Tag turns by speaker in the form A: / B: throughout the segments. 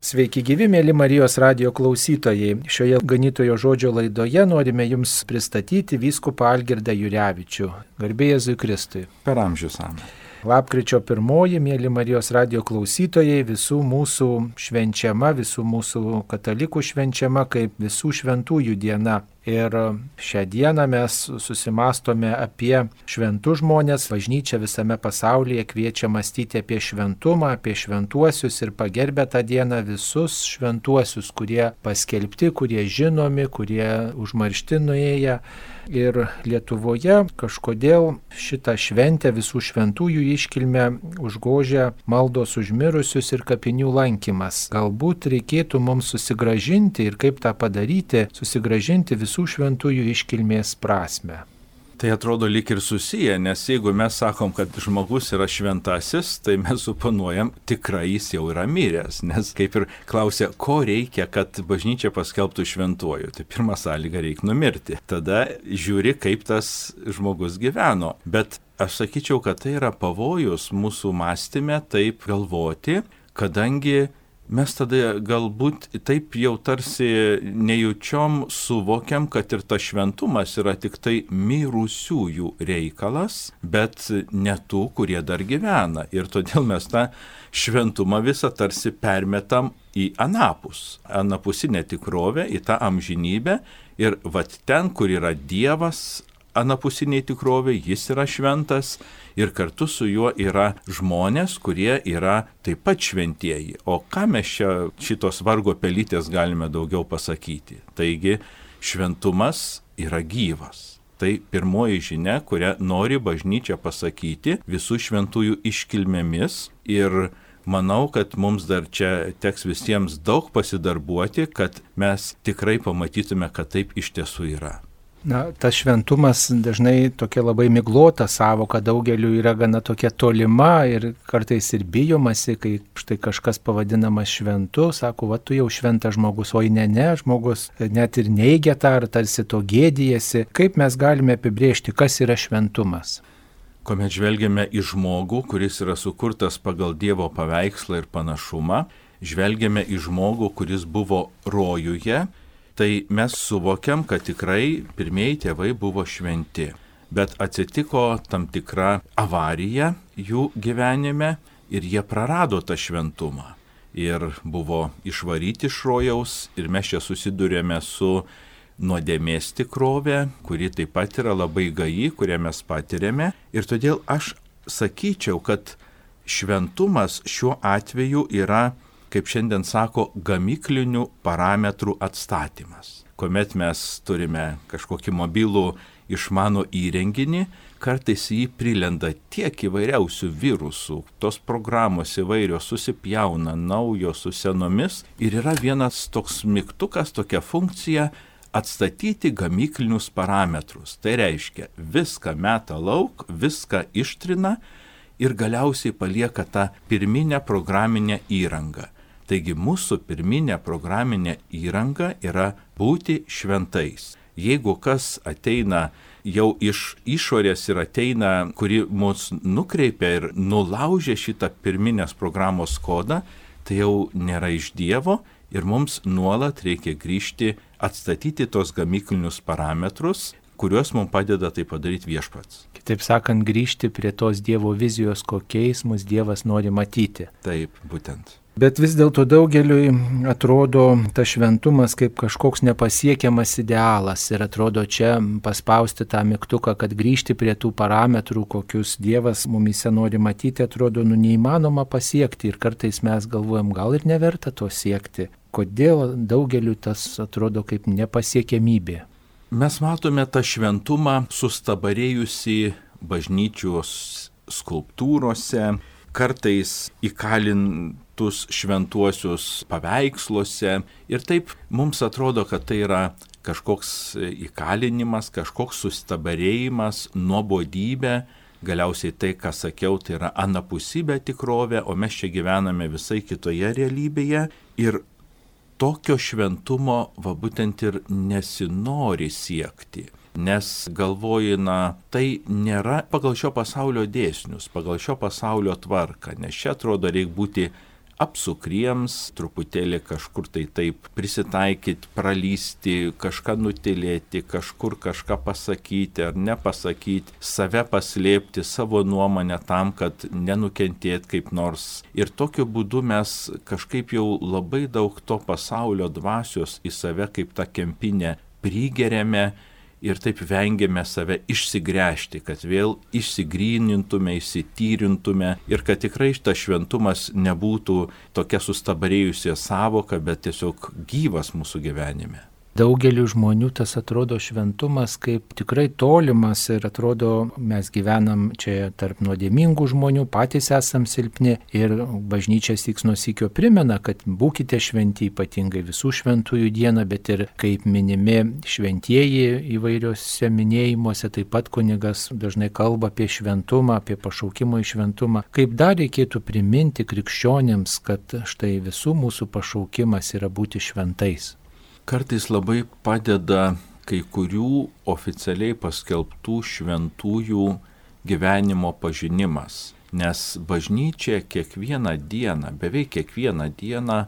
A: Sveiki gyvi, mėly Marijos radijo klausytojai. Šioje ganytojo žodžio laidoje norime Jums pristatyti vyskupą Algirdą Jurevičių. Garbė Jėzui Kristui.
B: Per amžius amen.
A: Lapkričio 1, mėly Marijos radijo klausytojai, visų mūsų švenčiama, visų mūsų katalikų švenčiama kaip visų šventųjų diena. Ir šią dieną mes susimastome apie šventus žmonės. Bažnyčia visame pasaulyje kviečia mąstyti apie šventumą, apie šventuosius ir pagerbę tą dieną visus šventuosius, kurie paskelbti, kurie žinomi, kurie užmaršti nuėję. Ir Lietuvoje kažkodėl šitą šventę visų šventųjų iškilmę užgožia maldos už mirusius ir kapinių lankymas. Galbūt reikėtų mums susigrąžinti ir kaip tą padaryti, susigrąžinti visų šventųjų iškilmės prasmę.
B: Tai atrodo lyg ir susiję, nes jeigu mes sakom, kad žmogus yra šventasis, tai mes suponuojam, tikrai jis jau yra miręs, nes kaip ir klausia, ko reikia, kad bažnyčia paskelbtų šventuoju. Tai pirma sąlyga reikia numirti. Tada žiūri, kaip tas žmogus gyveno. Bet aš sakyčiau, kad tai yra pavojus mūsų mąstyme taip galvoti, kadangi mes tada galbūt taip jau tarsi nejučiom suvokiam, kad ir tas šventumas yra tik tai mirusiųjų reikalas, bet ne tų, kurie dar gyvena. Ir todėl mes tą šventumą visą tarsi permetam į anapusinę tikrovę, į tą amžinybę. Ir vat ten, kur yra Dievas, anapusiniai tikrovė, jis yra šventas ir kartu su juo yra žmonės, kurie yra taip pat šventieji. O ką mes čia šitos vargo pelytės galime daugiau pasakyti? Taigi šventumas yra gyvas. Tai pirmoji žinia, kurią nori bažnyčia pasakyti visų šventųjų iškilmėmis ir manau, kad mums dar čia teks visiems daug pasidarbuoti, kad mes tikrai pamatytume, kad taip iš tiesų yra.
A: Na, tas šventumas dažnai tokia labai miglota savoka, daugeliu yra gana tokia tolima ir kartais ir bijomasi, kai štai kažkas pavadinamas šventu, sako, va tu jau šventas žmogus, oi ne, žmogus net ir neigia tą, ar tarsi to gėdijasi. Kaip mes galime apibrėžti, kas yra šventumas?
B: Kuomet žvelgiame į žmogų, kuris yra sukurtas pagal Dievo paveikslą ir panašumą, žvelgiame į žmogų, kuris buvo rojuje, tai mes suvokiam, kad tikrai pirmieji tėvai buvo šventi. Bet atsitiko tam tikra avarija jų gyvenime ir jie prarado tą šventumą. Ir buvo išvaryti iš rojaus ir mes čia susidurėme su nuodėmės tikrove, kuri taip pat yra labai gaji, kurią mes patiriame. Ir todėl aš sakyčiau, kad šventumas šiuo atveju yra, kaip šiandien sako, gamyklinių parametrų atstatymas. Kuomet mes turime kažkokį mobilų išmanų įrenginį, kartais jį prilenda tiek įvairiausių virusų, tos programos įvairios susipjauna naujos su senomis ir yra vienas toks mygtukas, tokia funkcija atstatyti gamyklinius parametrus. Tai reiškia, viską meta lauk, viską ištrina ir galiausiai palieka tą pirminę programinę įrangą. Taigi mūsų pirminė programinė įranga yra būti šventais. Jeigu kas ateina jau iš išorės ir ateina, kuri mus nukreipia ir nulaužia šitą pirminės programos kodą, tai jau nėra iš Dievo ir mums nuolat reikia grįžti, atstatyti tos gamyklinius parametrus, kuriuos mums padeda tai padaryti Viešpats.
A: Kitaip sakant, grįžti prie tos Dievo vizijos, kokiais mus Dievas nori matyti.
B: Taip, būtent.
A: Bet vis dėlto daugeliui atrodo tas šventumas kaip kažkoks nepasiekiamas idealas ir atrodo čia paspausti tą mygtuką, kad grįžti prie tų parametrų, kokius Dievas mumyse nori matyti, atrodo neįmanoma pasiekti ir kartais mes galvojam, gal ir neverta to siekti. Kodėl daugeliui tas atrodo kaip nepasiekiamybė?
B: Mes matome tą šventumą sustabarėjusi bažnyčios skulptūrose, kartais įkalintus šventuosius paveiksluose ir taip mums atrodo, kad tai yra kažkoks įkalinimas, kažkoks sustabarėjimas, nuobodybė, galiausiai tai, ką sakiau, tai yra anapusybė tikrovė, o mes čia gyvename visai kitoje realybėje ir tokio šventumo būtent ir nesinori siekti. Nes galvoji, tai nėra pagal šio pasaulio dėsnius, pagal šio pasaulio tvarką, nes čia atrodo reikia būti apsukriems, truputėlį kažkur tai taip prisitaikyti, pralysti, kažką nutilėti, kažkur kažką pasakyti ar nepasakyti, save paslėpti, savo nuomonę tam, kad nenukentėt kaip nors. Ir tokiu būdu mes kažkaip jau labai daug to pasaulio dvasios į save kaip tą kempinę prigeriame ir taip vengiame save išsigręžti, kad vėl išsigrynintume, išsityrintume ir kad tikrai šitas šventumas nebūtų tokia sustabarėjusi sąvoka, bet tiesiog gyvas mūsų gyvenime.
A: Daugeliu žmonių tas atrodo šventumas kaip tikrai tolimas ir atrodo mes gyvenam čia tarp nuodėmingų žmonių, patys esam silpni ir bažnyčia syks nuo sykio primena, kad būkite šventi, ypatingai visų šventųjų dieną, bet ir kaip minimi šventieji įvairiuose minėjimuose, taip pat kunigas dažnai kalba apie šventumą, apie pašaukimo į šventumą. Kaip dar reikėtų priminti krikščionėms, kad štai visų mūsų pašaukimas yra būti šventais.
B: Kartais labai padeda kai kurių oficialiai paskelbtų šventųjų gyvenimo pažinimas, nes bažnyčia kiekvieną dieną, beveik kiekvieną dieną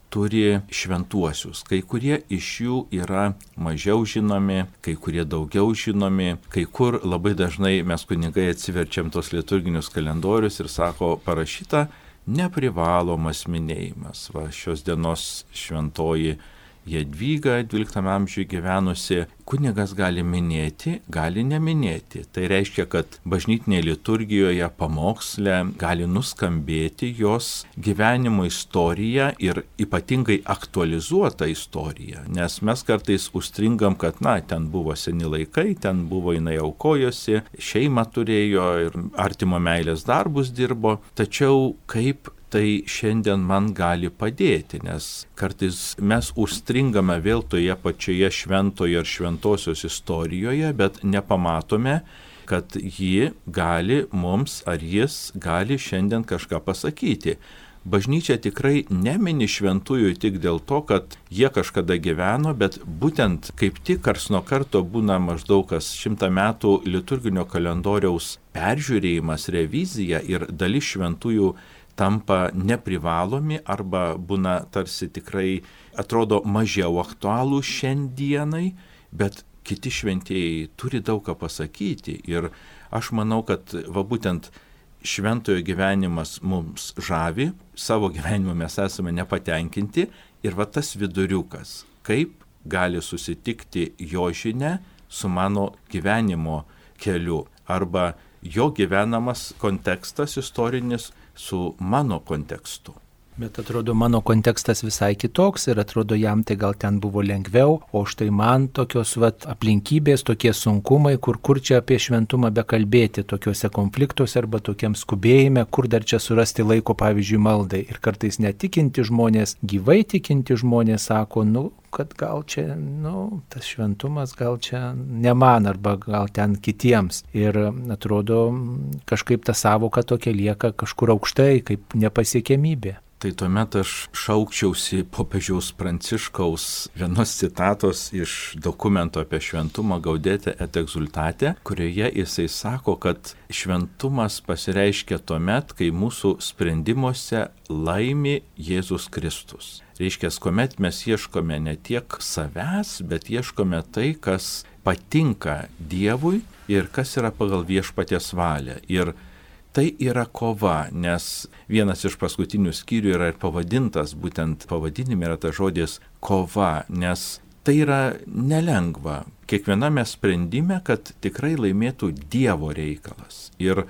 B: turi šventuosius. Kai kurie iš jų yra mažiau žinomi, kai kurie daugiau žinomi, kai kur labai dažnai mes kunigai atsiverčiam tos liturginius kalendorius ir sako parašyta neprivalomas minėjimas. Va, šios dienos šventoji Jadvyga 12 amžiuje gyvenusi, kunigas gali minėti, gali neminėti. Tai reiškia, kad bažnytinėje liturgijoje pamoksle gali nuskambėti jos gyvenimo istorija ir ypatingai aktualizuota istorija. Nes mes kartais užstringam, kad ten buvo seni laikai, ten buvo jinai aukojosi, šeimą turėjo ir artimo meilės darbus dirbo. Tačiau kaip tai šiandien man gali padėti, nes kartais mes užstringame vėl toje pačioje šventoje ar šventosios istorijoje, bet nepamatome, kad ji gali mums ar jis gali šiandien kažką pasakyti. Bažnyčia tikrai nemini šventųjų tik dėl to, kad jie kažkada gyveno, bet būtent kaip tik karts nuo karto būna maždaug kas 100 metų liturginio kalendoriaus peržiūrėjimas, revizija ir dalis šventųjų tampa neprivalomi arba būna tarsi tikrai atrodo mažiau aktualų šiandienai, bet kiti šventieji turi daug ką pasakyti. Ir aš manau, kad būtent šventojo gyvenimas mums žavi, savo gyvenimu mes esame nepatenkinti ir tas viduriukas, kaip gali susitikti jo žinia su mano gyvenimo keliu arba jo gyvenamas kontekstas istorinis su mano kontekstu.
A: Bet atrodo, mano kontekstas visai kitoks ir atrodo, jam tai gal ten buvo lengviau, o štai man tokios aplinkybės, tokie sunkumai, kur čia apie šventumą bekalbėti, tokiuose konfliktuose arba tokiam skubėjime, kur dar čia surasti laiko, pavyzdžiui, maldai. Ir kartais netikinti žmonės, gyvai tikinti žmonės sako, kad gal čia, tas šventumas gal čia ne man arba gal ten kitiems. Ir atrodo, kažkaip ta sąvoka tokia lieka kažkur aukštai, kaip nepasiekiamybė.
B: Tai tuomet aš šaukčiausi popiežiaus Pranciškaus vienos citatos iš dokumento apie šventumą Gaudete et Exsultate, kurioje jisai sako, kad šventumas pasireiškia tuomet, kai mūsų sprendimuose laimi Jėzus Kristus. Reiškia, kuomet mes ieškome ne tiek savęs, bet ieškome tai, kas patinka Dievui ir kas yra pagal viešpaties valią. Ir tai yra kova, nes vienas iš paskutinių skyrių yra ir pavadintas, būtent pavadinime yra tas žodis kova, nes tai yra nelengva. Kiekviename sprendime, kad tikrai laimėtų Dievo reikalas. Ir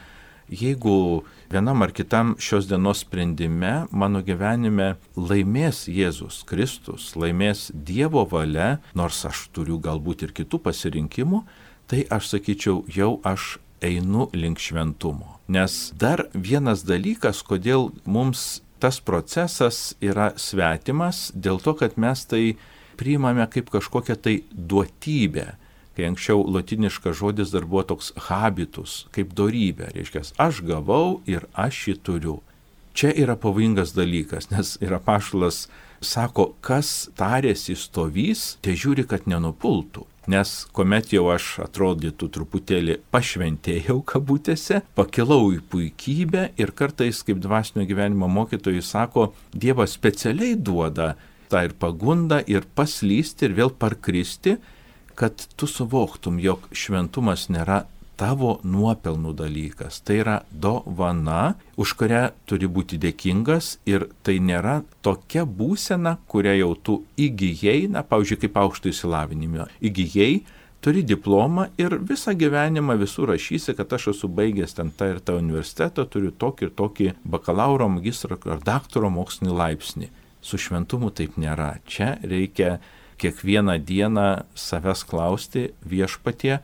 B: jeigu vienam ar kitam šios dienos sprendime mano gyvenime laimės Jėzus Kristus, laimės Dievo valia, nors aš turiu galbūt ir kitų pasirinkimų, tai aš sakyčiau, jau aš einu link šventumo. Nes dar vienas dalykas, kodėl mums tas procesas yra svetimas, dėl to, kad mes tai priimame kaip kažkokią tai duotybę. Kai anksčiau lotiniškas žodis dar buvo toks habitus, kaip dorybė. Reiškia, aš gavau ir aš jį turiu. čia yra pavojingas dalykas, nes ir apaštalas sako, kas tarėsi stovys, te žiūri, kad nenupultų. Nes kuomet jau aš atrodytų truputėlį pašventėjau kabutėse, pakilau į puikybę ir kartais, kaip dvasinio gyvenimo mokytojai sako, Dievas specialiai duoda tą ir pagundą, ir paslysti, ir vėl parkristi, kad tu suvoktum, jog šventumas nėra tavo nuopelnų dalykas. Tai yra dovana, už kurią turi būti dėkingas ir tai nėra tokia būsena, kurią jau tu įgyjai, pavyzdžiui, kaip aukšto išsilavinimo. Įgyjai, turi diplomą ir visą gyvenimą visur rašysi, kad aš esu baigęs ten tą ir tą universitetą, turiu tokį ir tokį bakalauro, magistro ar daktaro mokslinį laipsnį. Su šventumu taip nėra. Čia reikia kiekvieną dieną savęs klausti viešpatie,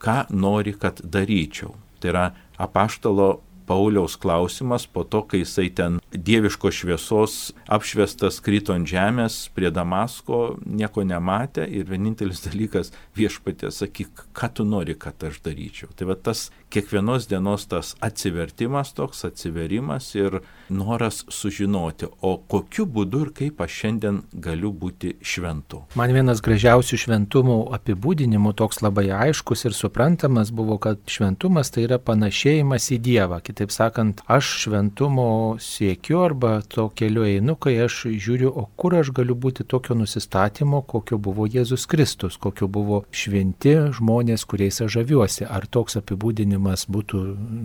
B: ką nori, kad daryčiau. Tai yra apaštalo Pauliaus klausimas po to, kai jisai ten dieviškos šviesos apšviestas krito ant žemės prie Damasko, nieko nematė ir vienintelis dalykas viešpatie sakyk, ką tu nori, kad aš daryčiau. Tai va tas kiekvienos dienos tas atsivertimas, toks atsiverimas ir noras sužinoti, o kokiu būdu ir kaip aš šiandien galiu būti šventu.
A: Man vienas gražiausių šventumo apibūdinimų, toks labai aiškus ir suprantamas buvo, kad šventumas tai yra panašėjimas į Dievą. Kitaip sakant, aš šventumo siekiu arba to keliu einu, kai aš žiūriu, o kur aš galiu būti tokio nusistatymo, kokio buvo Jėzus Kristus, kokio buvo šventi žmonės, kuriais aš žaviuosi. Ar toks apibūdinimas būtų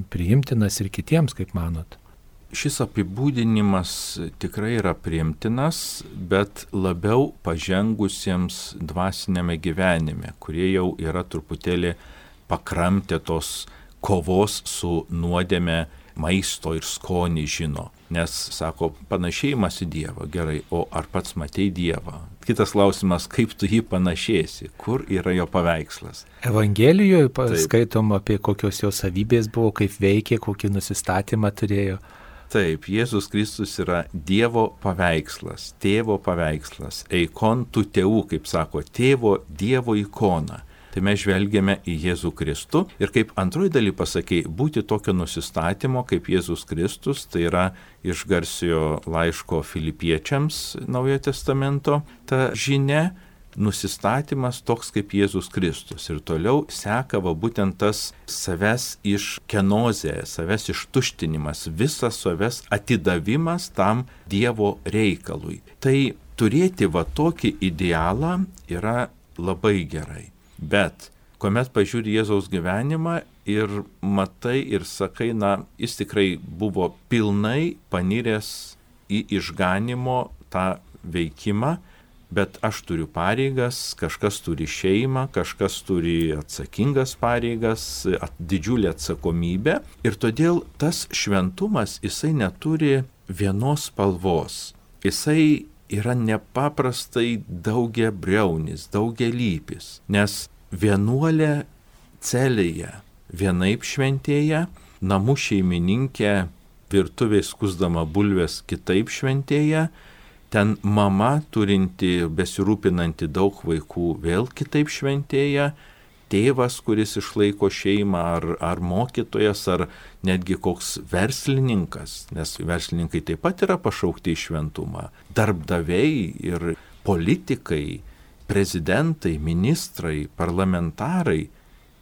A: priimtinas ir kitiems, kaip manot?
B: Šis apibūdinimas tikrai yra priimtinas, bet labiau pažengusiems dvasinėme gyvenime, kurie jau yra truputėlį pakramtę tos kovos su nuodėme maisto ir skonį žino. Nes, sako, panašėjimas į Dievą. Gerai, o ar pats matei Dievą? Kitas klausimas, kaip tu jį panašėsi? Kur yra jo paveikslas?
A: Evangelijoje skaitom apie kokios jo savybės buvo, kaip veikė, kokį nusistatymą turėjo.
B: Taip, Jėzus Kristus yra Dievo paveikslas, tėvo paveikslas, eikon tu tėvų, kaip sako, tėvo Dievo ikona. Tai mes žvelgiame į Jėzų Kristų ir kaip antroji daly pasakei, būti tokio nusistatymo kaip Jėzus Kristus, tai yra iš garsiojo laiško Filipiečiams Naujojo Testamento ta žinia, nusistatymas toks kaip Jėzus Kristus. Ir toliau seka va būtent tas savęs iškenozė, savęs ištuštinimas, visas savęs atidavimas tam Dievo reikalui. Tai turėti va tokį idealą yra labai gerai. Bet kuomet pažiūri Jėzaus gyvenimą ir matai ir sakai, jis tikrai buvo pilnai paniręs į išganimo tą veikimą, bet aš turiu pareigas, kažkas turi šeimą, kažkas turi atsakingas pareigas, didžiulę atsakomybę ir todėl tas šventumas, jisai neturi vienos spalvos. Jisai yra nepaprastai daugiabriaunis, daugialypis, nes vienuolė celėje vienaip šventėja, namų šeimininkė virtuvėje skusdama bulves kitaip šventėja, ten mama turinti, besirūpinanti daug vaikų vėl kitaip šventėja, tėvas, kuris išlaiko šeimą, ar mokytojas, ar netgi koks verslininkas, nes verslininkai taip pat yra pašaukti į šventumą, darbdaviai ir politikai, prezidentai, ministrai, parlamentarai,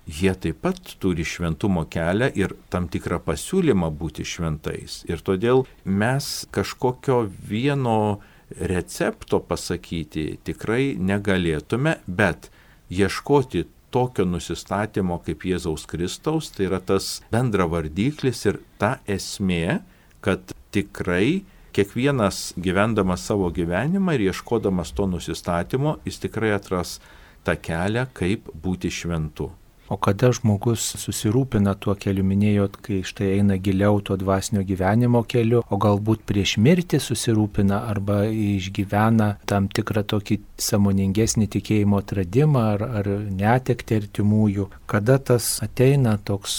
B: jie taip pat turi šventumo kelią ir tam tikrą pasiūlymą būti šventais. Ir todėl mes kažkokio vieno recepto pasakyti tikrai negalėtume, bet ieškoti tokio nusistatymo kaip Jėzaus Kristaus, tai yra tas bendra vardiklis ir ta esmė, kad tikrai kiekvienas gyvendamas savo gyvenimą ir ieškodamas to nusistatymo, jis tikrai atras tą kelią, kaip būti šventu.
A: O kada žmogus susirūpina tuo keliu, minėjot, kai štai eina giliau to dvasinio gyvenimo keliu, o galbūt prieš mirtį susirūpina arba išgyvena tam tikrą tokį sąmoningesnį tikėjimo atradimą ar netektį artimųjų, kada tas ateina toks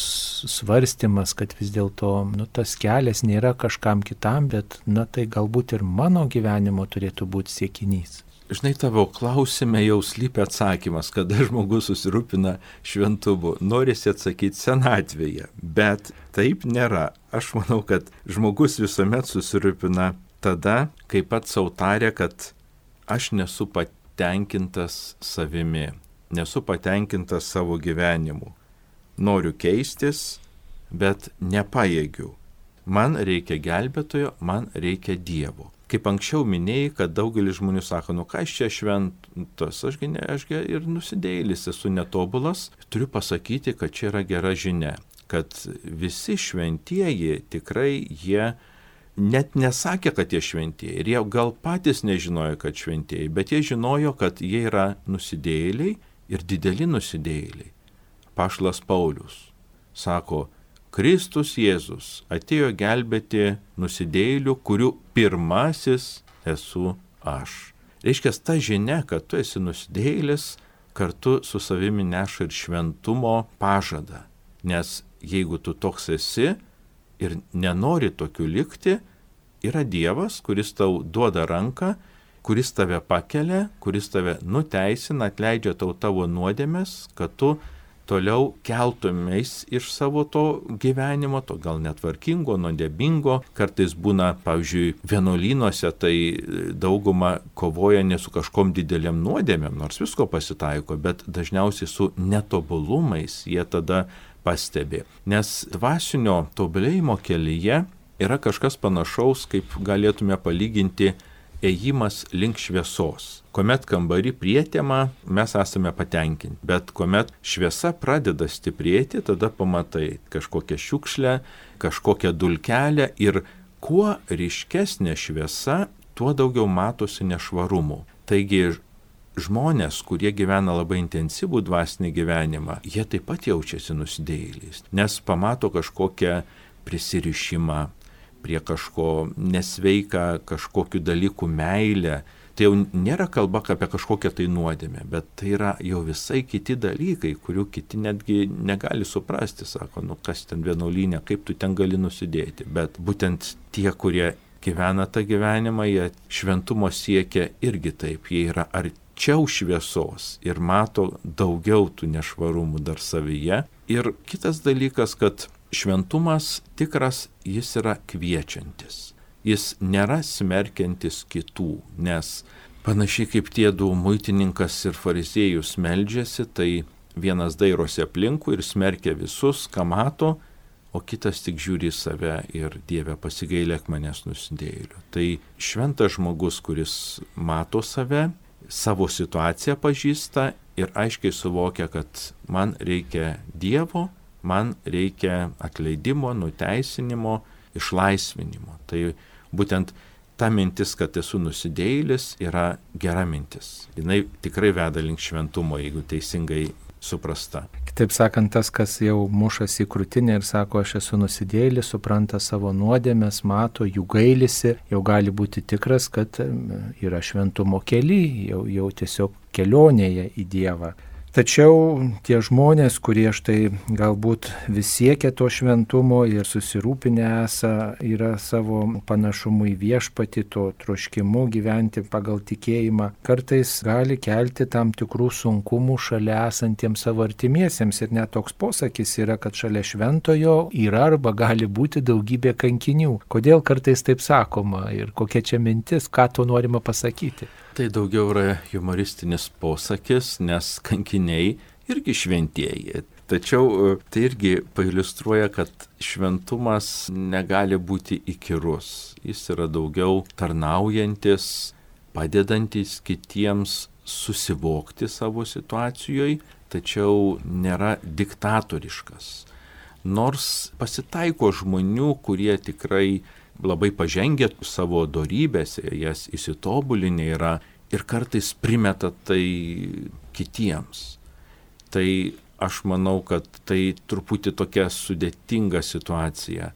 A: svarstymas, kad vis dėlto tas kelias nėra kažkam kitam, bet tai galbūt ir mano gyvenimo turėtų būti siekinys.
B: Žinai, tavo klausime jau slypi atsakymas, kada žmogus susirūpina šventumu. Norisi atsakyti senatvėje, bet taip nėra. Aš manau, kad žmogus visuomet susirūpina tada, kai pats sau tarė, kad aš nesu patenkintas savimi, nesu patenkintas savo gyvenimu. Noriu keistis, bet nepajėgiu. Man reikia gelbėtojo, man reikia Dievo. Kaip anksčiau minėjai, kad daugelis žmonių sako, ką aš čia šventas, ašgi ir nusidėjėlis, esu netobulas. Turiu pasakyti, kad čia yra gera žinia, kad visi šventieji tikrai jie net nesakė, kad jie šventieji. Ir jie gal patys nežinojo, kad šventieji, bet jie žinojo, kad jie yra nusidėjėliai ir dideli nusidėjėliai. Apaštalas Paulius sako, Kristus Jėzus atėjo gelbėti nusidėjėlių, kurių pirmasis esu aš. Reiškia, ta žinia, kad tu esi nusidėjėlis, kartu su savimi neša ir šventumo pažadą. Nes jeigu tu toks esi ir nenori tokiu likti, yra Dievas, kuris tau duoda ranką, kuris tave pakelia, kuris tave nuteisina, atleidžia tau tavo nuodėmes, kad tu toliau keltumės iš savo to gyvenimo, to gal netvarkingo, nuodėmingo. Kartais būna, pavyzdžiui, vienuolynuose, tai dauguma kovoja ne su kažkom dideliam nuodėmėm, nors visko pasitaiko, bet dažniausiai su netobulumais jie tada pastebi. Nes dvasinio tobulėjimo kelyje yra kažkas panašaus, kaip galėtume palyginti ėjimas link šviesos. Kuomet kambarį prietema, mes esame patenkinti, bet kuomet šviesa pradeda stiprėti, tada pamatai kažkokią šiukšlę, kažkokią dulkelę ir kuo ryškesnė šviesa, tuo daugiau matosi nešvarumų. Taigi žmonės, kurie gyvena labai intensyvų dvasinį gyvenimą, jie taip pat jaučiasi nusidėjėliais, nes pamato kažkokią prisirišimą prie kažko nesveika, kažkokių dalykų meilę. Tai jau nėra kalba apie kažkokią tai nuodėmę, bet tai yra jau visai kiti dalykai, kurių kiti netgi negali suprasti. Sako, kas ten vienuolynė, kaip tu ten gali nusidėti. Bet būtent tie, kurie gyvena tą gyvenimą, jie šventumo siekia irgi taip. Jie yra arčiau šviesos ir mato daugiau tų nešvarumų dar savyje. Ir kitas dalykas, kad šventumas tikras, jis yra kviečiantis. Jis nėra smerkiantis kitų, nes panašiai kaip tie du muitininkas ir fariziejus meldžiasi, tai vienas dairosi aplinkui ir smerkia visus, ką mato, o kitas tik žiūri į save ir Dieve pasigailėk manęs nusidėjėlių. Tai šventas žmogus, kuris mato save, savo situaciją pažįsta ir aiškiai suvokia, kad man reikia Dievo, man reikia atleidimo, nuteisinimo, išlaisvinimo. Tai būtent ta mintis, kad esu nusidėjėlis, yra gera mintis. Jinai tikrai veda link šventumo, jeigu teisingai suprasta.
A: Kitaip sakant, tas, kas jau mušasi į krūtinę ir sako, aš esu nusidėjėlis, supranta savo nuodėmes, mato, jų gailisi, jau gali būti tikras, kad yra šventumo kely, jau tiesiog kelionėje į Dievą. Tačiau tie žmonės, kurie štai galbūt vis siekia to šventumo ir susirūpinę yra savo panašumu į viešpatį, to troškimu gyventi pagal tikėjimą, kartais gali kelti tam tikrų sunkumų šalia esantiems savo artimiesiems. Ir net toks posakis yra, kad šalia šventojo yra arba gali būti daugybė kankinių. Kodėl kartais taip sakoma ir kokia čia mintis, ką to norima pasakyti?
B: Tai daugiau yra humoristinis posakis, nes kankiniai irgi šventieji. Tačiau tai irgi pailiustruoja, kad šventumas negali būti įkyrus. Jis yra daugiau tarnaujantis, padedantis kitiems susivokti savo situacijoje, tačiau nėra diktatoriškas. Nors pasitaiko žmonių, kurie tikrai labai pažengę savo dorybėse, jas įsitobulinę yra ir kartais primeta tai kitiems. Tai aš manau, kad tai truputį tokia sudėtinga situacija.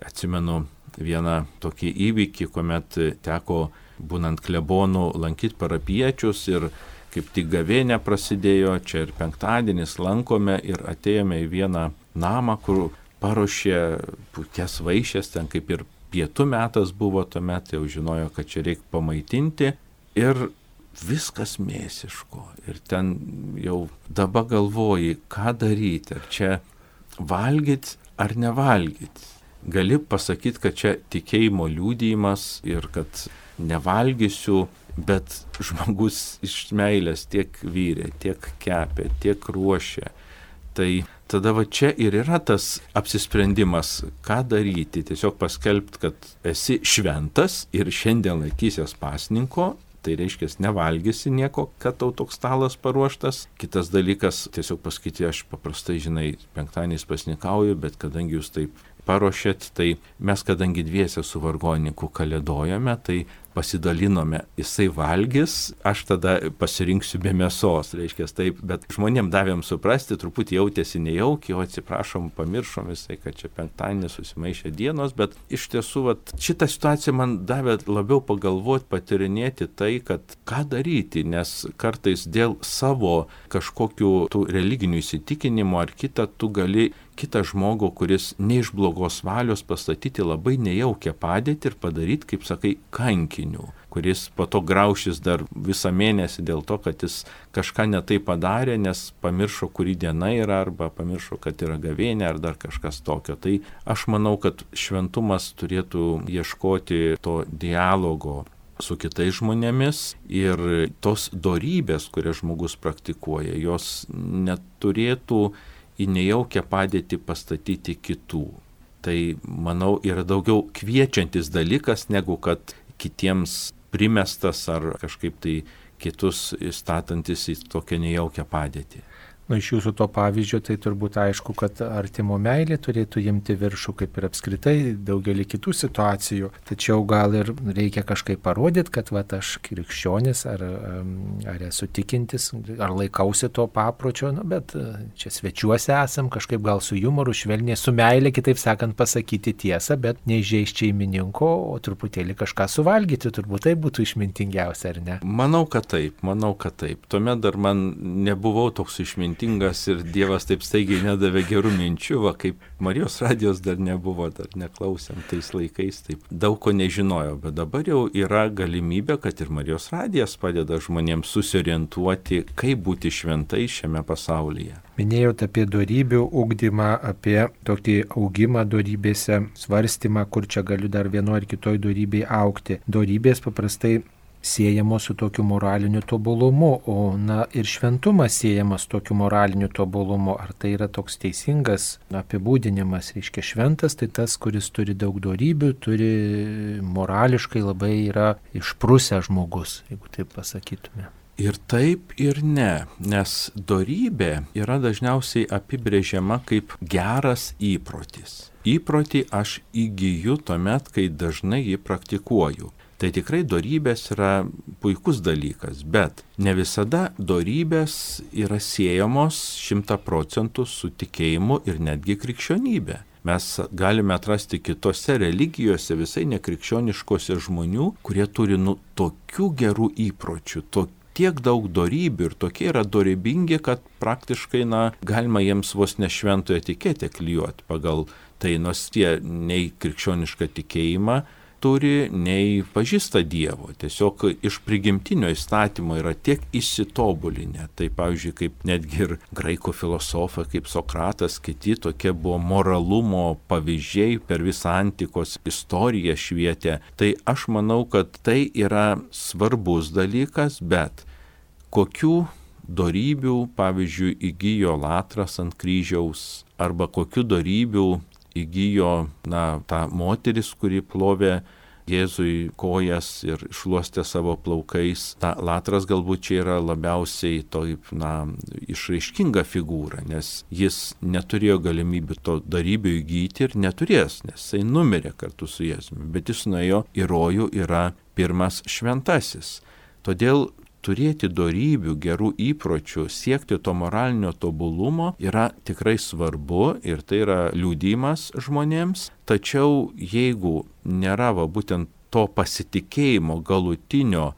B: Atsimenu vieną tokį įvykį, kuomet teko, būnant klebonų, lankyti parapiečius ir kaip tik gavėnė prasidėjo, čia ir penktadienis lankome ir atėjome į vieną namą, kur paruošė puikias vaišes, ten kaip ir pietų metas buvo tuomet, jau žinojo, kad čia reikia pamaitinti. Ir viskas mėsiško. Ir ten jau dabar galvoji, ką daryti, ar čia valgyti ar nevalgyti. Gali pasakyti, kad čia tikėjimo liudijimas ir kad nevalgysiu, bet žmogus iš meilės tiek vyrė, tiek kepė, tiek ruošė. Tai tada va čia ir yra tas apsisprendimas, ką daryti. Tiesiog paskelbti, kad esi šventas ir šiandien laikysies pasninko. Tai reiškia, nevalgysi nieko, kad tau toks stalas paruoštas. Kitas dalykas, tiesiog pasakyti, aš paprastai, penktadieniais pasnikauju, bet kadangi jūs taip paruošėt, tai mes kadangi dviese su vargonininku kalėdojame, tai pasidalinome, jisai valgys, aš tada pasirinksiu be mėsos, reiškia taip, bet žmonėm davėm suprasti, truputį jautėsi nejaukiai, o atsiprašom, pamiršom visai, kad čia penktadienį susimaišė dienos, bet iš tiesų šitą situaciją man davė labiau pagalvoti, patirinėti tai, kad ką daryti, nes kartais dėl savo kažkokių tų religinių įsitikinimų ar tu gali kitą žmogų, kuris ne iš blogos valios pastatyti labai nejaukią padėtį ir padaryti, kaip sakai, kankiniu, kuris po to graušis dar visą mėnesį dėl to, kad jis kažką netai padarė, nes pamiršo, kuri diena yra, arba pamiršo, kad yra gavėnė, ar dar kažkas tokio. Tai aš manau, kad šventumas turėtų ieškoti to dialogo su kitais žmonėmis ir tos dorybės, kurias žmogus praktikuoja, jos neturėtų į nejaukią padėtį pastatyti kitų. Tai, manau, yra daugiau kviečiantis dalykas, negu kad kitiems primestas ar kažkaip tai kitus statantis į tokią nejaukią padėtį.
A: Iš jūsų to pavyzdžio tai turbūt aišku, kad artimo meilė turėtų imti viršų, kaip ir apskritai daugelį kitų situacijų. Tačiau gal ir reikia kažkaip parodyti, kad aš krikščionis ar esu tikintis, ar laikausi to papročio, bet čia svečiuose esam, kažkaip gal su jumoru, švelniai, su meilė, kitaip sakant, pasakyti tiesą, bet neįžeisti šeimininko, o truputėlį kažką suvalgyti, turbūt tai būtų išmintingiausia, ar ne?
B: Manau, kad taip. Tuomet dar man nebuvau toks išmintingas ir Dievas taip staigiai nedavė gerų minčių, kaip Marijos radijos dar nebuvo, dar neklausėm tais laikais, taip daug ko nežinojau, bet dabar jau yra galimybė, kad ir Marijos radijas padeda žmonėms susiorientuoti, kaip būti šventai šiame pasaulyje.
A: Minėjote apie dorybių ugdymą, apie tokį augimą dorybėse, svarstymą, kur čia galiu dar vienoje ar kitoje dorybėje augti. Dorybės paprastai siejamos su tokiu moraliniu tobulumu, o ir šventumas siejamas su tokiu moraliniu tobulumu. Ar tai yra toks teisingas apibūdinimas? Reiškia, šventas tai tas, kuris turi daug dorybių, turi morališkai labai yra išprusę žmogus, jeigu taip pasakytume.
B: Ir taip, ir ne, nes dorybė yra dažniausiai apibrėžiama kaip geras įprotis. Įprotį aš įgyju tuomet, kai dažnai jį praktikuoju. Tai tikrai dorybės yra puikus dalykas, bet ne visada dorybės yra siejamos 100% su tikėjimu ir netgi krikščionybė. Mes galime atrasti kitose religijose, visai nekrikščioniškose žmonių, kurie turi tokių gerų įpročių, tiek daug dorybių ir tokie yra dorybingi, kad praktiškai galima jiems vos ne šventojo etiketę klijuoti pagal tai, nors tie nei krikščionišką tikėjimą turi, nei pažįsta Dievo. Tiesiog iš prigimtinio įstatymo yra tiek įsitobulinę. Tai pavyzdžiui, kaip netgi ir graikų filosofai, kaip Sokratas, kiti tokie buvo moralumo pavyzdžiai per visą antikos istoriją švietė. Tai aš manau, kad tai yra svarbus dalykas, bet kokių dorybių, pavyzdžiui, įgijo Latras ant kryžiaus, arba kokių dorybių įgijo ta moteris, kuri plovė Jėzui kojas ir šluostė savo plaukais. Latras galbūt čia yra labiausiai išraiškinga figūra, nes jis neturėjo galimybių to dorybių įgyti ir neturės, nes jisai numirė kartu su Jėzumi, bet jis nuėjo į rojų, yra pirmas šventasis. Todėl turėti dorybių, gerų įpročių, siekti to moralinio tobulumo yra tikrai svarbu ir tai yra liudijimas žmonėms. Tačiau jeigu nėra būtent to pasitikėjimo galutinio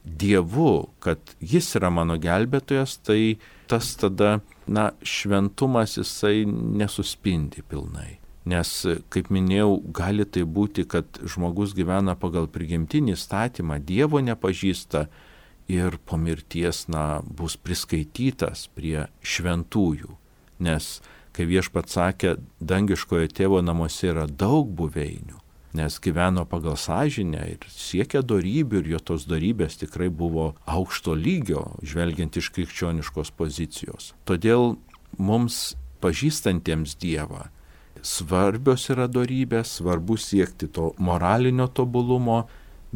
B: Dievu, kad jis yra mano gelbėtojas, tai tas tada, šventumas jisai nesuspindi pilnai. Nes, kaip minėjau, gali tai būti, kad žmogus gyvena pagal prigimtinį įstatymą, Dievo nepažįsta, ir po mirties, bus priskaitytas prie šventųjų. Nes, kai Viešpats sakė, dangiškojo tėvo namuose yra daug buveinių, nes gyveno pagal sąžinę ir siekė dorybių ir jo tos dorybės tikrai buvo aukšto lygio, žvelgiant iš krikščioniškos pozicijos. Todėl mums pažįstantiems Dievą svarbios yra dorybės, svarbu siekti to moralinio tobulumo,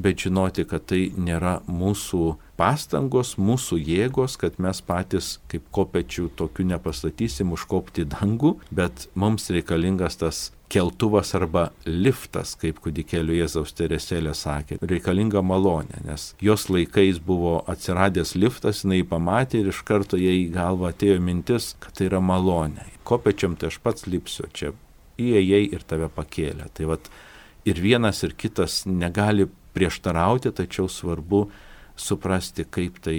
B: bet žinoti, kad tai nėra mūsų pastangos, mūsų jėgos, kad mes patys kaip kopečių tokių nepastatysim užkopti dangų, bet mums reikalingas tas keltuvas arba liftas, kaip kūdikėlio Jėzaus Teresėlė sakė, reikalinga malonė, nes jos laikais buvo atsiradęs liftas, jinai pamatė ir iš karto jai į galvą atėjo mintis, kad tai yra malonė. Kopečiam tai aš pats lipsiu, čia įėjai ir tave pakėlė. Tai vat ir vienas ir kitas negali prieštarauti, tačiau svarbu suprasti, kaip tai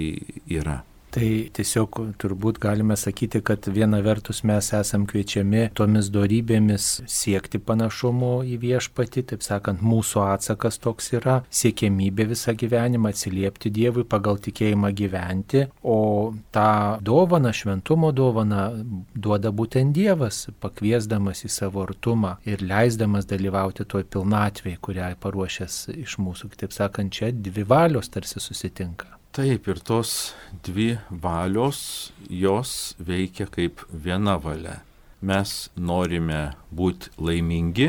B: yra.
A: Tai tiesiog turbūt galime sakyti, kad viena vertus mes esam kviečiami tomis dorybėmis siekti panašumo į Viešpatį, taip sakant, mūsų atsakas toks yra siekiamybė visą gyvenimą atsiliepti Dievui, pagal tikėjimą gyventi, o tą dovaną, šventumo dovaną duoda būtent Dievas, pakviesdamas į savo artumą ir leisdamas dalyvauti toj pilnatvėj, kurią paruošęs iš mūsų. Taip sakant, čia dvi valios tarsi susitinka.
B: Taip, ir tos dvi valios, jos veikia kaip viena valia. Mes norime būti laimingi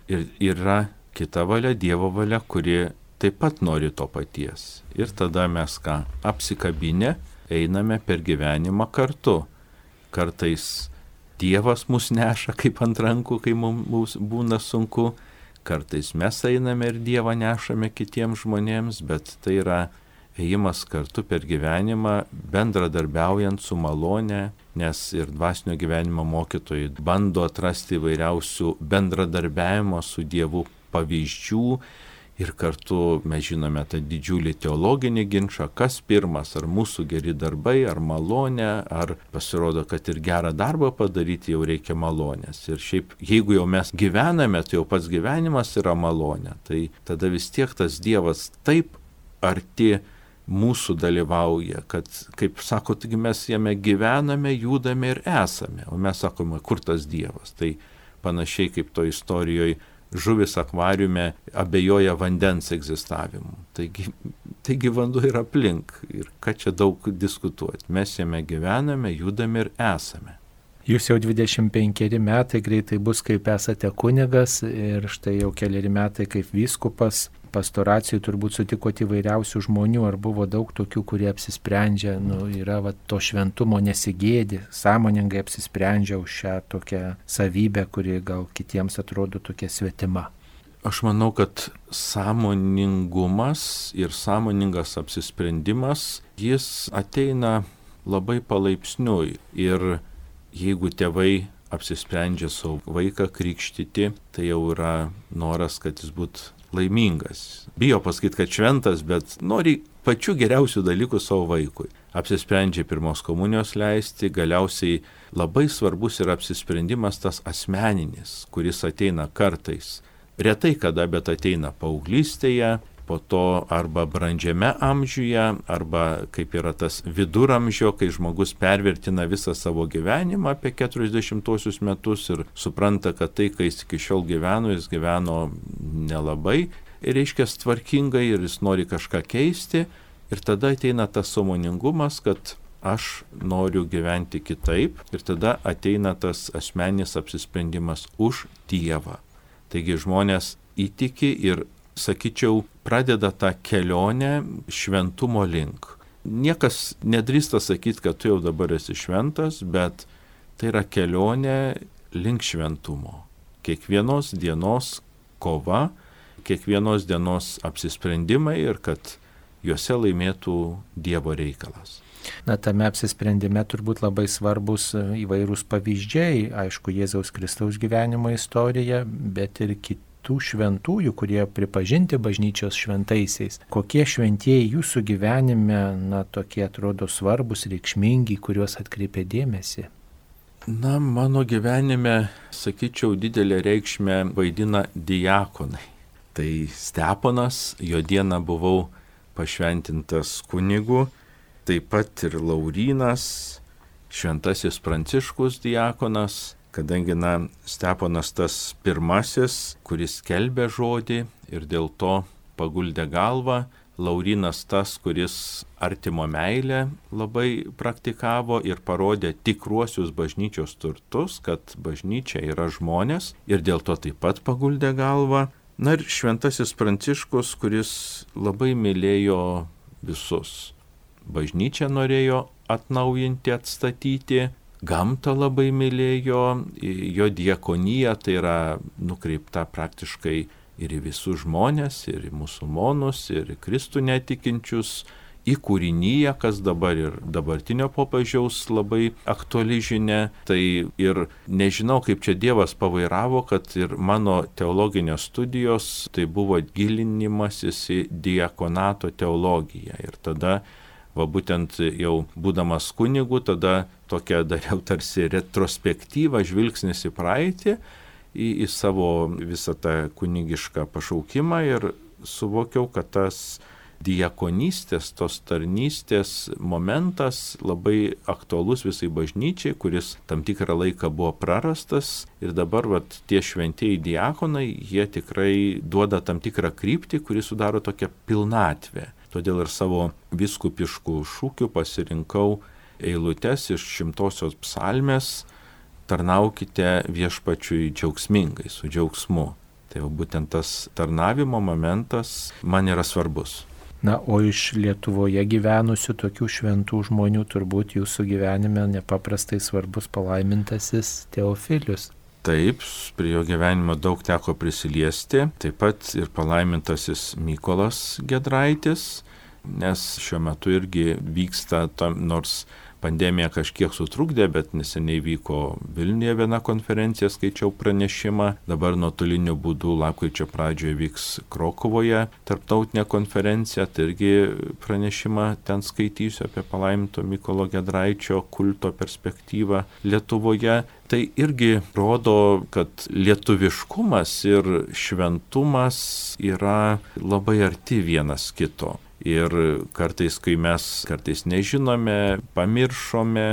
B: ir yra kita valia, Dievo valia, kuri taip pat nori to paties. Ir tada mes apsikabinę einame per gyvenimą kartu. Kartais Dievas mus neša kaip ant rankų, kai mums būna sunku. Kartais mes einame ir Dievą nešame kitiems žmonėms, bet tai yra ėjimas kartu per gyvenimą, bendradarbiaujant su malone, nes ir dvasinio gyvenimo mokytojai bando atrasti įvairiausių bendradarbiavimo su Dievu pavyzdžių ir kartu mes žinome tą didžiulį teologinį ginčą, kas pirmas, ar mūsų geri darbai, ar malonė, ar pasirodo, kad ir gerą darbą padaryti jau reikia malonės. Ir šiaip, jeigu jau mes gyvename, tai jau pats gyvenimas yra malonė, tai tada vis tiek tas Dievas taip arti mūsų dalyvauja, kad, kaip sako, taigi mes jame gyvename, judame ir esame, o mes sakome, kur tas Dievas. Tai panašiai kaip to istorijoje žuvis akvariume abejoja vandens egzistavimu. Taigi vanduo yra aplink ir ką čia daug diskutuoti. Mes jame gyvename, judame ir esame.
A: Jūs jau 25 metai greitai bus, kaip esate kunigas ir štai jau keliari metai kaip vyskupas. Pastoracijai turbūt sutikote įvairiausių žmonių, ar buvo daug tokių, kurie apsisprendžia, yra to šventumo nesigėdi, sąmoningai apsisprendžia už šią tokią savybę, kuri gal kitiems atrodo tokia svetima.
B: Aš manau, kad sąmoningumas ir sąmoningas apsisprendimas, jis ateina labai palaipsniui ir jeigu tėvai apsisprendžia savo vaiką krikštyti, tai jau yra noras, kad jis būtų laimingas. Bijo pasakyti, kad šventas, bet nori pačių geriausių dalykų savo vaikui. Apsisprendžia pirmos komunijos leisti, galiausiai labai svarbus yra apsisprendimas tas asmeninis, kuris ateina kartais. Retai kada, bet ateina paauglystėje, po to arba brandžiame amžiuje, arba kaip yra tas viduramžio, kai žmogus pervertina visą savo gyvenimą apie 40 metus ir supranta, kad tai, kai jis iki šiol gyveno, jis gyveno nelabai, ir reiškia tvarkingai ir jis nori kažką keisti, ir tada ateina tas sąmoningumas, kad aš noriu gyventi kitaip, ir tada ateina tas asmeninis apsisprendimas už Dievą. Taigi žmonės įtiki ir, sakyčiau, pradeda tą kelionę šventumo link. Niekas nedrįsta sakyti, kad tu jau dabar esi šventas, bet tai yra kelionė link šventumo. Kiekvienos dienos kova, kiekvienos dienos apsisprendimai ir kad juose laimėtų Dievo reikalas.
A: Tame apsisprendime turbūt labai svarbus įvairūs pavyzdžiai, aišku, Jėzaus Kristaus gyvenimo istorija, bet ir kitų šventųjų, kurie pripažinti bažnyčios šventaisiais. Kokie šventieji jūsų gyvenime, tokie atrodo svarbus, reikšmingi, kuriuos atkreipė dėmesį?
B: Mano gyvenime, sakyčiau, didelę reikšmę vaidina diakonai. Tai Steponas, jo dieną buvau pašventintas kunigu, taip pat ir Laurynas, šventasis Pranciškus diakonas, kadangi Steponas tas pirmasis, kuris skelbė žodį ir dėl to paguldė galvą, Laurynas tas, kuris artimo meilę labai praktikavo ir parodė tikruosius bažnyčios turtus, kad bažnyčia yra žmonės ir dėl to taip pat paguldė galvą. Ir šventasis Pranciškus, kuris labai mylėjo visus. Bažnyčią norėjo atnaujinti, atstatyti, gamtą labai mylėjo, jo diakonija tai yra nukreipta praktiškai ir į visus žmonės, ir į musulmonus, ir į Kristų netikinčius, į kūrinyje, kas dabar ir dabartinio popiežiaus labai aktuali žinia. Tai ir nežinau, kaip čia Dievas pavairavo, kad ir mano teologinės studijos tai buvo gilinimasis į diakonato teologiją. Ir tada, būtent jau būdamas kunigu, tada tokia dariau tarsi retrospektyvą, žvilgsnis į praeitį, į savo visą tą kunigišką pašaukimą ir suvokiau, kad tas diakonystės, tos tarnystės momentas labai aktualus visai bažnyčiai, kuris tam tikrą laiką buvo prarastas ir dabar tie šventieji diakonai, jie tikrai duoda tam tikrą kryptį, kuri sudaro tokią pilnatvę. Todėl ir savo vyskupiškų šūkių pasirinkau eilutes iš 100-osios psalmės: tarnaukite viešpačiui džiaugsmingai, su džiaugsmu. Tai būtent tas tarnavimo momentas man yra svarbus.
A: O iš Lietuvoje gyvenusių tokių šventų žmonių turbūt jūsų gyvenime nepaprastai svarbus palaimintasis Teofilius.
B: Taip, prie jo gyvenimo daug teko prisiliesti, taip pat ir palaimintasis Mykolas Giedraitis, nes šiuo metu irgi vyksta, nors pandemija kažkiek sutrukdė, bet neseniai vyko Vilniuje viena konferencija, skaičiau pranešimą. Dabar nuotoliniu būdu lapkričio pradžioje vyks Krokuvoje tarptautinė konferencija, tai irgi pranešimą ten skaitysiu apie palaiminto Mykolo Giedraičio kulto perspektyvą Lietuvoje. Tai irgi rodo, kad lietuviškumas ir šventumas yra labai arti vienas kito. Ir kartais, kai mes nežinome, pamiršome,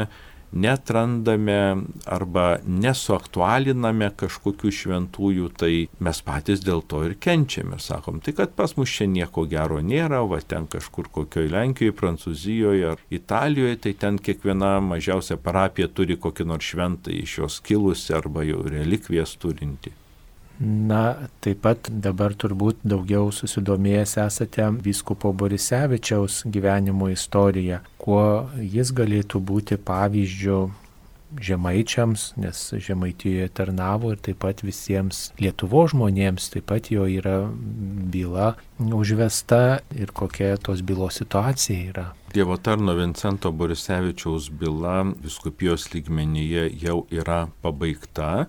B: netrandame arba nesuaktualiname kažkokių šventųjų, tai mes patys dėl to ir kenčiame. Sakom, tai kad pas mus čia nieko gero nėra, ten kažkur kokioj Lenkijoje, Prancūzijoje ar Italijoje, tai ten kiekviena mažiausia parapija turi kokį nors šventą iš jos kilusi arba jau relikvijas turinti.
A: Taip pat dabar turbūt daugiau susidomėjęs esate vyskupo Borisevičiaus gyvenimo istoriją. Kuo jis galėtų būti pavyzdžiu žemaičiams, nes Žemaitijoje tarnavo ir taip pat visiems Lietuvos žmonėms, taip pat jo yra byla užvesta ir kokia tos bylos situacija yra.
B: Dievo tarno Vincento Borisevičiaus byla vyskupijos lygmenyje jau yra pabaigta.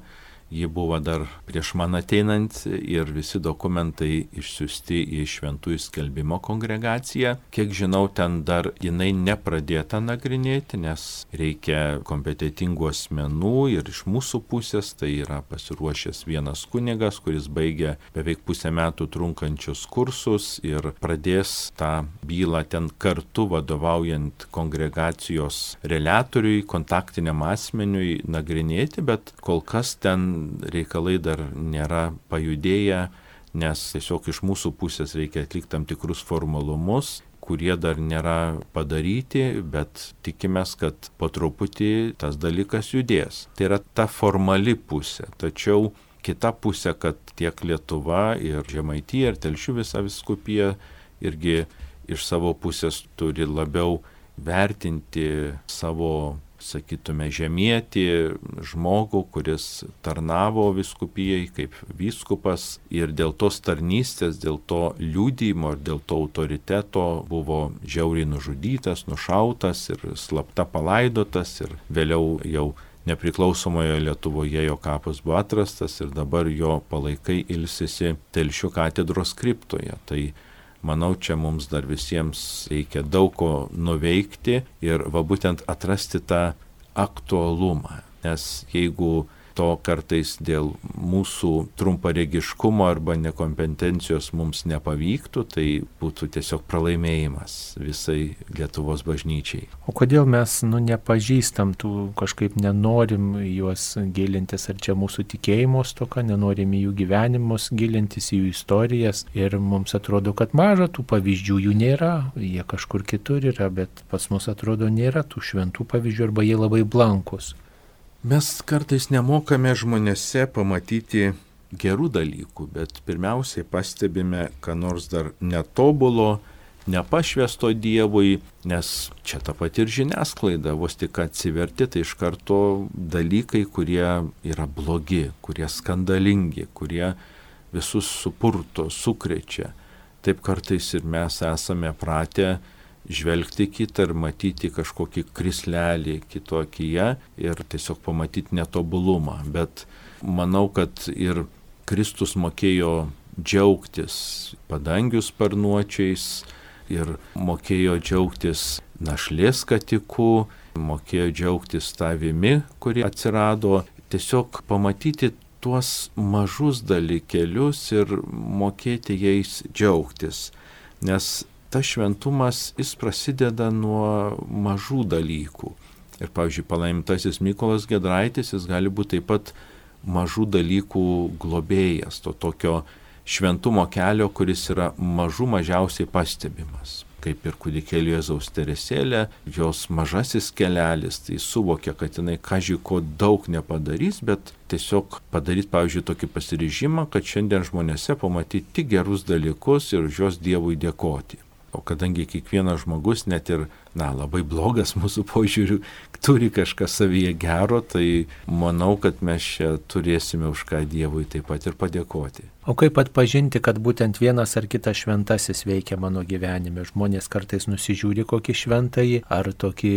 B: Ji buvo dar prieš man ateinant ir visi dokumentai išsiųsti į Šventųjų skelbimo kongregaciją. Kiek žinau, ten dar jinai nepradėta nagrinėti, nes reikia kompetentingų asmenų ir iš mūsų pusės tai yra pasiruošęs vienas kunigas, kuris baigė beveik pusę metų trunkančius kursus ir pradės tą bylą ten kartu vadovaujant kongregacijos reliatoriui, kontaktiniam asmeniui nagrinėti, bet kol kas ten reikalai dar nėra pajudėję, nes tiesiog iš mūsų pusės reikia atlikti tam tikrus formalumus, kurie dar nėra padaryti, bet tikimės, kad po truputį tas dalykas judės. Tai yra ta formali pusė, tačiau kita pusė, kad tiek Lietuva ir Žemaitija ir Telšių visa vyskupija irgi iš savo pusės turi labiau vertinti savo, sakytume, žemietį žmogų, kuris tarnavo vyskupijai kaip vyskupas ir dėl tos tarnystės, dėl to liudijimo ir dėl to autoriteto buvo žiauriai nužudytas, nušautas ir slapta palaidotas ir vėliau jau nepriklausomoje Lietuvoje jo kapas buvo atrastas ir dabar jo palaikai ilsisi Telšių katedros kriptoje. Tai manau, čia mums dar visiems reikia daug ko nuveikti ir būtent atrasti tą aktualumą. Nes jeigu to kartais dėl mūsų trumparegiškumo arba nekompetencijos mums nepavyktų, tai būtų tiesiog pralaimėjimas visai Lietuvos bažnyčiai.
A: O kodėl mes nepažįstam tų, kažkaip nenorim juos gilintis, ar čia mūsų tikėjimo stoka, nenorim į jų gyvenimus gilintis, į jų istorijas ir mums atrodo, kad maža tų pavyzdžių, jų nėra, jie kažkur kitur yra, bet pas mus atrodo nėra tų šventų pavyzdžių arba jie labai blankus.
B: Mes kartais nemokame žmonėse pamatyti gerų dalykų, bet pirmiausiai pastebime, ką nors dar netobulo, nepašvęsto Dievui, nes čia ta pati ir žiniasklaida, vos tik atsiverti, tai iš karto dalykai, kurie yra blogi, kurie skandalingi, kurie visus supurto, sukrečia. Taip kartais ir mes esame pratę žvelgti kitą ir matyti kažkokį krislelį kito akyje ir tiesiog pamatyti netobulumą. Bet manau, kad ir Kristus mokėjo džiaugtis padangių sparnuočiais ir mokėjo džiaugtis našlės skatiku, mokėjo džiaugtis tavimi, kuri atsirado. Tiesiog pamatyti tuos mažus dalykėlius ir mokėti jais džiaugtis. Nes tas šventumas, jis prasideda nuo mažų dalykų. Ir pavyzdžiui, palaimintasis Mykolas Giedraitis, jis gali būti taip pat mažų dalykų globėjas, to tokio šventumo kelio, kuris yra mažiausiai pastebimas. Kaip ir kūdikėlio Jėzaus Teresėlė, jos mažasis kelelis, tai suvokia, kad jinai kažko daug nepadarys, bet tiesiog padaryti, pavyzdžiui, tokį pasiryžimą, kad šiandien žmonėse pamatyti tik gerus dalykus ir už juos Dievui dėkoti. O kadangi kiekvienas žmogus, net ir, labai blogas mūsų požiūrių, turi kažką savyje gero, tai manau, kad mes čia turėsime už ką Dievui taip pat ir padėkoti.
A: O kaip atpažinti, kad būtent vienas ar kitas šventasis veikia mano gyvenime? Žmonės kartais nusižiūri kokį šventąjį, ar tokį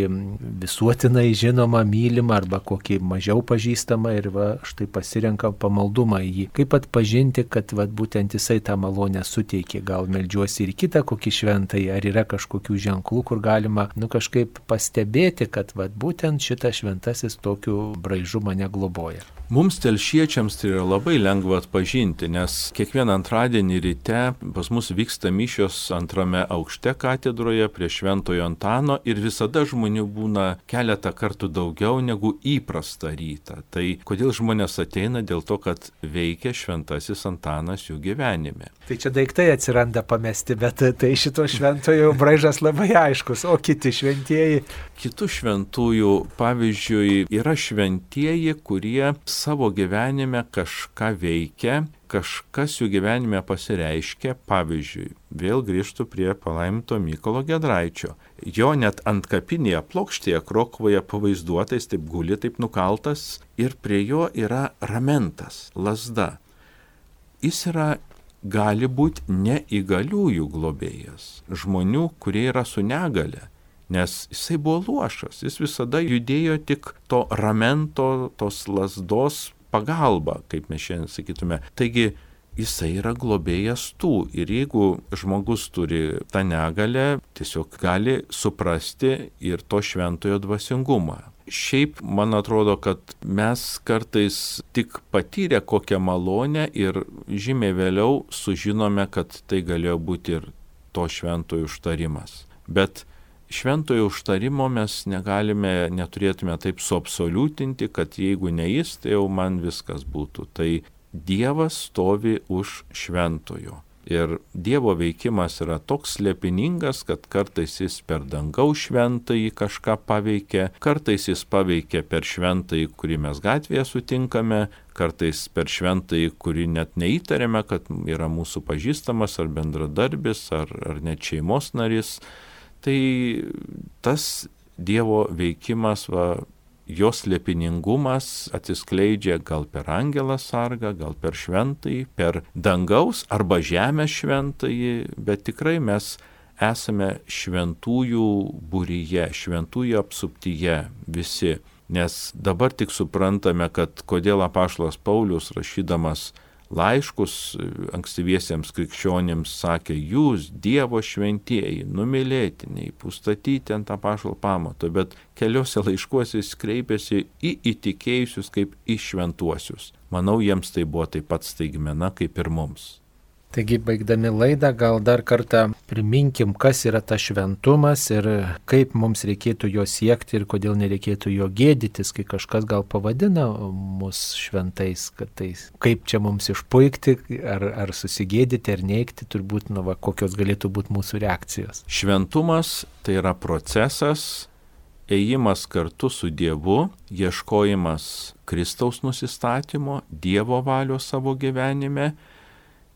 A: visuotinai žinomą, mylimą, arba kokį mažiau pažįstamą ir štai pasirenka pamaldumą į jį. Kaip atpažinti, kad būtent jisai tą malonę suteikė? Gal meldžiuosi ir kitą kokį šventąjį, ar yra kažkokių ženklų, kur galima kažkaip pastebėti, kad būtent šitas šventasis tokiu braižu mane globoja?
B: Mums telšiečiams tai yra labai lengva atpažinti, nes kiekvieną antradienį ryte pas mus vyksta mišios antrame aukšte katedroje prie Šventojo Antano ir visada žmonių būna keletą kartų daugiau negu įprasta rytą. Tai kodėl žmonės ateina? Dėl to, kad veikia šventasis Antanas jų gyvenime.
A: Tai čia daiktai atsiranda pamesti, bet tai šito šventojo braižas labai aiškus, o kiti šventieji?
B: Kitų šventųjų, pavyzdžiui, yra šventieji, kurie savo gyvenime kažką veikia, kažkas jų gyvenime pasireiškia, pavyzdžiui, vėl grįžtų prie palaiminto Mykolo Giedraičio. Jo net ant kapinėje plokštėje Krokuvoje pavaizduotais, taip guli, taip nukaltas, ir prie jo yra ramentas, lazda. Jis gali būti neįgaliųjų globėjas, žmonių, kurie yra su negale. Nes jisai buvo luošas, jis visada judėjo tik to ramento, tos lazdos pagalba, kaip mes šiandien sakytume. Taigi jisai yra globėjas tų ir jeigu žmogus turi tą negalę, tiesiog gali suprasti ir to šventojo dvasingumą. Šiaip man atrodo, kad mes kartais tik patyrę kokią malonę ir žymiai vėliau sužinome, kad tai galėjo būti ir to šventojo užtarimas. Bet šventojo užtarimo mes neturėtume taip suabsoliutinti, kad jeigu ne jis, tai jau man viskas būtų. Tai Dievas stovi už šventojo. Ir Dievo veikimas yra toks slėpiningas, kad kartais jis per dangaus šventąjį kažką paveikia, kartais jis paveikia per šventąjį, kurį mes gatvėje sutinkame, kartais per šventąjį, kurį net neįtarėme, kad yra mūsų pažįstamas ar bendradarbis, ar net šeimos narys. Tai tas Dievo veikimas, jos slėpiningumas atsiskleidžia gal per angelą sargą, gal per šventąjį, per dangaus arba žemės šventąjį, bet tikrai mes esame šventųjų būryje, šventųjų apsuptyje visi. Nes dabar tik suprantame, kad kodėl apaštalas Paulius rašydamas laiškus ankstyviesiems krikščionims, sakė, jūs Dievo šventieji, numylėtiniai, pustatyti ant apaštalo pamato, bet keliose laiškuose jis kreipėsi į įtikėjusius kaip į šventuosius. Manau, jiems tai buvo taip pat staigmena kaip ir mums.
A: Taigi, baigdami laidą, gal dar kartą priminkim, kas yra tas šventumas ir kaip mums reikėtų jo siekti ir kodėl nereikėtų jo gėdytis, kai kažkas gal pavadina mus šventais, kad tai kaip čia mums išpuikti, ar susigėdyti, ar neigti, turbūt, kokios galėtų būti mūsų reakcijos.
B: Šventumas tai yra procesas, ėjimas kartu su Dievu, ieškojimas Kristaus nusistatymo, Dievo valios savo gyvenime,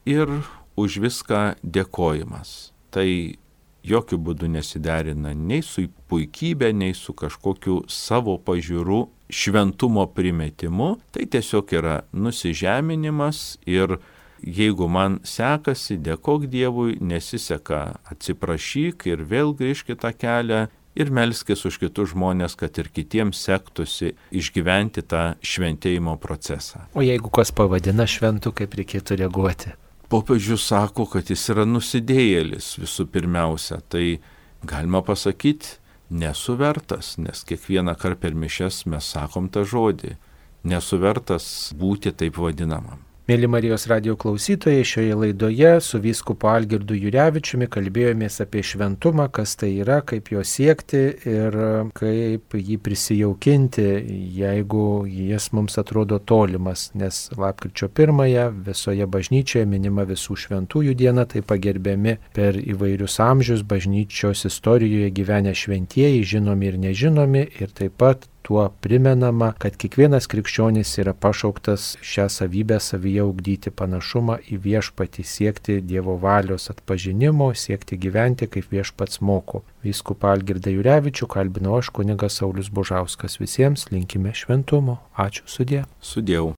B: ir už viską dėkojimas. Tai jokių būdų nesiderina nei su puikybė, nei su kažkokiu savo pažiūrų šventumo primetimu. Tai tiesiog yra nusižeminimas ir jeigu man sekasi, dėkok Dievui, nesiseka, atsiprašyk ir vėl grįžk į tą kelią ir melskis už kitus žmonės, kad ir kitiems sektųsi išgyventi tą šventėjimo procesą.
A: O jeigu kas pavadina šventu, kaip reikėtų reaguoti?
B: Popiežius sako, kad jis yra nusidėjėlis visų pirmiausia, tai galima pasakyti nesu vertas, nes kiekvieną kartą per mišias mes sakom tą žodį, nesu vertas būti taip vadinamam.
A: Mėly Marijos radijo klausytojai, šioje laidoje su vyskupu Algirdu Jurevičiumi kalbėjomės apie šventumą, kas tai yra, kaip jo siekti ir kaip jį prisijaukinti, jeigu jis mums atrodo tolimas, nes lapkričio 1-ąją visoje bažnyčioje minima visų šventųjų diena, tai pagerbiami per įvairius amžius bažnyčios istorijoje gyvenę šventieji, žinomi ir nežinomi, ir taip pat tuo primenama, kad kiekvienas krikščionis yra pašauktas šią savybę savyje ugdyti, panašumą į viešpatį, siekti Dievo valios atpažinimo, siekti gyventi kaip viešpats moko. Vyskupą Algirdą Jurevičių kalbinau aš, kunigas Saulius Bužauskas. Visiems linkime šventumo. Ačiū, sudie.
B: Sudieu.